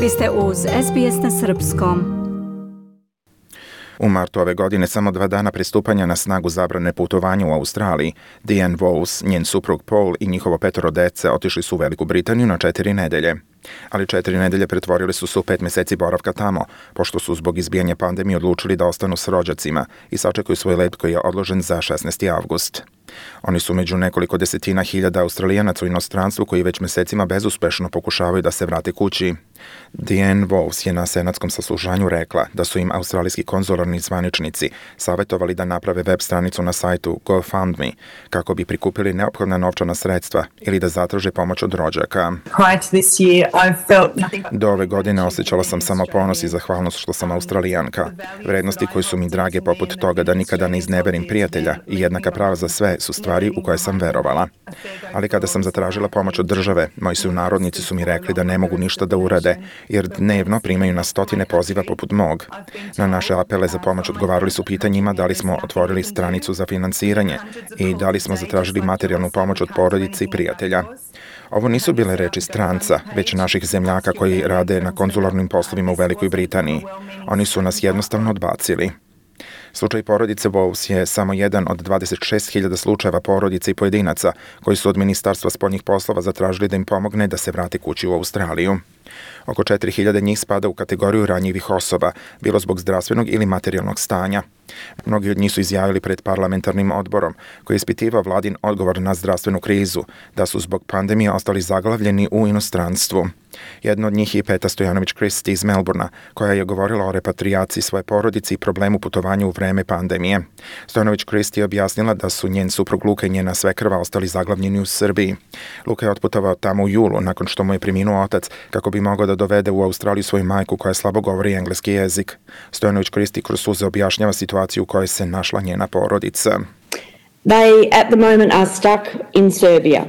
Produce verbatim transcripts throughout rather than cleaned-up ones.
Vi ste uz S B S na srpskom. U martu ove godine, samo dva dana pristupanja na snagu zabrane putovanja u Australiji, Diane Vowles, njen suprug Paul i njihovo petoro dece otišli su u Veliku Britaniju na četiri nedelje. Ali četiri nedelje pretvorili su se u pet meseci boravka tamo, pošto su zbog izbijanja pandemije odlučili da ostanu s rođacima i sačekaju svoj let koji je odložen za šesnaesti avgust. Oni su među nekoliko desetina hiljada Australijanaca u inostranstvu koji već mesecima bezuspešno pokušavaju da se vrate kući. Diane Vowles je na senatskom saslušanju rekla da su im australijski konzularni zvaničnici savjetovali da naprave web stranicu na sajtu GoFundMe kako bi prikupili neophodna novčana sredstva ili da zatraže pomoć od rođaka. Do ove godine osjećala sam samo ponos i zahvalnost što sam Australijanka. Vrednosti koje su mi drage poput toga da nikada ne izneverim prijatelja i jednaka prava za sve su stvari u koje sam verovala. Ali kada sam zatražila pomoć od države, moji sunarodnici su mi rekli da ne mogu ništa da urade, jer dnevno primaju na stotine poziva poput mog. Na naše apele za pomoć odgovarali su pitanjima da li smo otvorili stranicu za finansiranje i da li smo zatražili materijalnu pomoć od porodice i prijatelja. Ovo nisu bile reči stranca, već naših zemljaka koji rade na konzularnim poslovima u Velikoj Britaniji. Oni su nas jednostavno odbacili. Slučaj porodice Vowles je samo jedan od dvadeset šest hiljada slučajeva porodice i pojedinaca koji su od Ministarstva spoljnih poslova zatražili da im pomogne da se vrate kući u Australiju. Oko četiri hiljade njih spada u kategoriju ranjivih osoba, bilo zbog zdravstvenog ili materijalnog stanja. Mnogi od njih su izjavili pred parlamentarnim odborom, koji je ispitivao vladin odgovor na zdravstvenu krizu, da su zbog pandemije ostali zaglavljeni u inostranstvu. Jedna od njih je Peta Stojanović-Christie iz Melbourna, koja je govorila o repatrijaciji svoje porodice i problemu putovanja u vreme pandemije. Stojanović-Christie je objasnila da su njen suprug Luka i njena svekrva ostali zaglavljeni u Srbiji. Luka je otputovao tamo u julu, nakon što mu je preminuo otac, kako bi mogao da dovede u Australiju svoju majku koja slabo govori engleski jezik. Stojanović-Christie kroz suze objašnjava situaciju u kojoj se našla njena porodica. They at the moment are stuck in Serbia.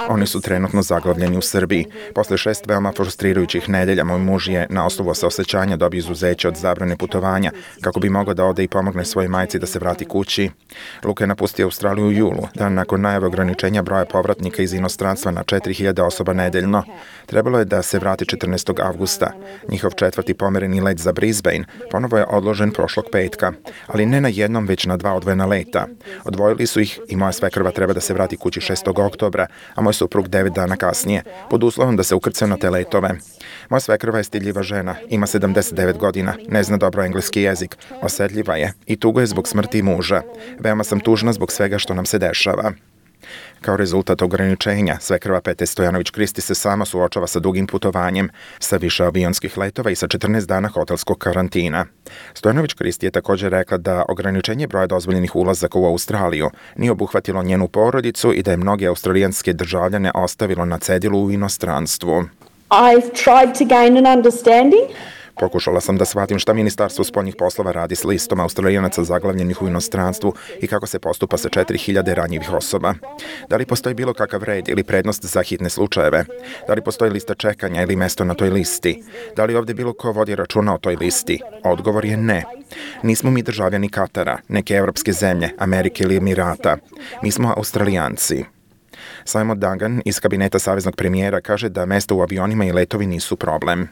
Oni su trenutno zaglavljeni u Srbiji. Posle šest veoma frustrirajućih nedelja, moj muž je na osnovu saosećanja dobio izuzeće od zabrane putovanja, kako bi mogao da ode i pomogne svojoj majci da se vrati kući. Luka je napustio Australiju u julu, dan nakon najave ograničenja broja povratnika iz inostranstva na četiri hiljade osoba nedeljno. Trebalo je da se vrati četrnaestog avgusta. Njihov četvrti pomereni let za Brisbane ponovo je odložen prošlog petka, ali ne na jednom, već na dva odvojena leta. Odvojili su ih i moja svekrva treba da se vrati kući šestog oktobra, a moj suprug devet dana kasnije, pod uslovom da se ukrcaju na te letove. Moja svekrva je stidljiva žena, ima sedamdeset devet godina, ne zna dobro engleski jezik, osetljiva je i tugo je zbog smrti muža. Veoma sam tužna zbog svega što nam se dešava. Kao rezultat ograničenja, svekrva Pete Stojanović-Christie se sama suočava sa dugim putovanjem, sa više avionskih letova i sa četrnaest dana hotelskog karantina. Stojanović-Christie je također rekla da ograničenje broja dozvoljenih ulazaka u Australiju nije obuhvatilo njenu porodicu i da je mnoge australijanske državljane ostavilo na cedilu u inostranstvu. I've tried to gain an understanding. Pokušala sam da shvatim šta Ministarstvo spoljnih poslova radi s listom Australijanaca zaglavljenih u inostranstvu i kako se postupa sa četiri hiljade ranjivih osoba. Da li postoji bilo kakav red ili prednost za hitne slučajeve? Da li postoji lista čekanja ili mesto na toj listi? Da li ovdje bilo ko vodi računa o toj listi? Odgovor je ne. Nismo mi državljani Katara, neke evropske zemlje, Amerike ili Emirata. Mi smo Australijanci. Simon Dungan iz kabineta saveznog premijera kaže da mesta u avionima i letovi nisu problem.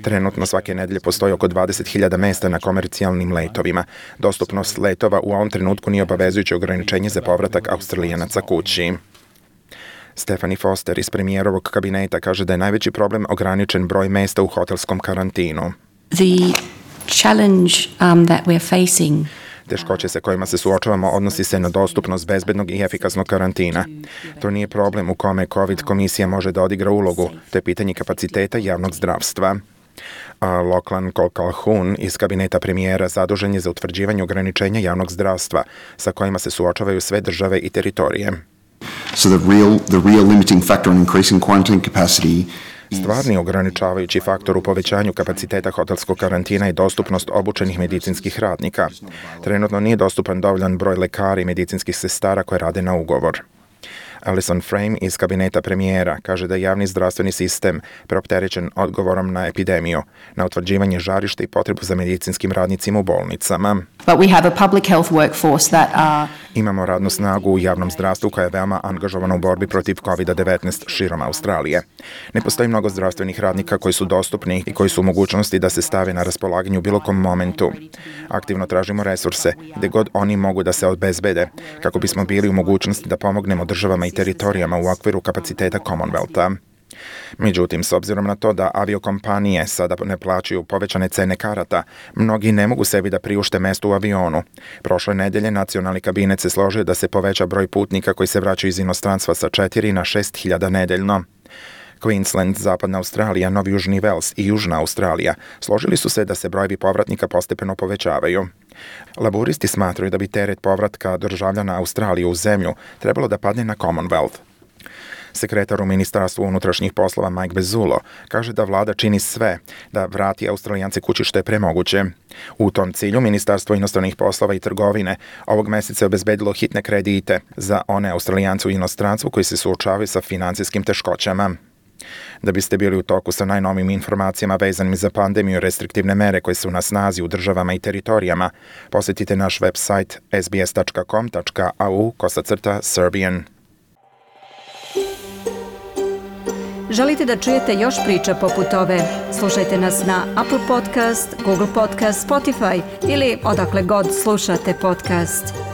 Trenutno svake nedelje postoji oko dvadeset hiljada mesta na komercijalnim letovima. Dostupnost letova u ovom trenutku nije obavezujuće ograničenje za povratak Australijanaca kući. Stephanie Foster iz premijerovog kabineta kaže da je najveći problem ograničen broj mesta u hotelskom karantinu. The challenge um, that we're facing Teškoće sa kojima se suočavamo odnosi se na dostupnost bezbednog i efikasnog karantina. To nije problem u kome COVID komisija može da odigra ulogu, to je pitanje kapaciteta javnog zdravstva. A Lachlan Calhoun iz kabineta premijera zadužen je za utvrđivanje ograničenja javnog zdravstva sa kojima se suočavaju sve države i teritorije. So the real, the real limiting factor in increasing quarantine capacity Stvarni ograničavajući faktor u povećanju kapaciteta hotelskog karantina je dostupnost obučenih medicinskih radnika. Trenutno nije dostupan dovoljan broj lekara i medicinskih sestara koje rade na ugovor. Alison Frame iz kabineta premijera kaže da je javni zdravstveni sistem preopterećen odgovorom na epidemiju, na utvrđivanje žarišta i potrebu za medicinskim radnicima u bolnicama. But we have a public health workforce that are Imamo radnu snagu u javnom zdravstvu koja je veoma angažovana u borbi protiv kovid devetnaest širom Australije. Ne postoji mnogo zdravstvenih radnika koji su dostupni i koji su u mogućnosti da se stave na raspolaganju u bilo kom momentu. Aktivno tražimo resurse gde god oni mogu da se obezbede kako bismo bili u mogućnosti da pomognemo državama i teritorijama u okviru kapaciteta Commonwealtha. Međutim, s obzirom na to da aviokompanije sada ne plaćaju povećane cene karata, mnogi ne mogu sebi da priušte mesto u avionu. Prošle nedelje nacionalni kabinet se složio da se poveća broj putnika koji se vraćaju iz inostranstva sa četiri na šest hiljada nedeljno. Queensland, Zapadna Australija, Novi Južni Vels i Južna Australija složili su se da se brojevi povratnika postepeno povećavaju. Laburisti smatraju da bi teret povratka državljana Australije u zemlju trebalo da padne na Commonwealth. Sekretar u Ministarstvu unutrašnjih poslova Mike Bezzulo kaže da vlada čini sve da vrati Australijance kući što je pre moguće. U tom cilju Ministarstvo inostranih poslova i trgovine ovog meseca je obezbedilo hitne kredite za one Australijance u inostranstvu koji se suočavaju sa finansijskim teškoćama. Da biste bili u toku sa najnovijim informacijama vezanim za pandemiju i restriktivne mere koje su na snazi u državama i teritorijama, posjetite naš website s b s tačka com tačka a u kosacrta Serbian. Želite da čujete još priča poput ove? Slušajte nas na Apple Podcast, Google Podcast, Spotify ili odakle god slušate podcast.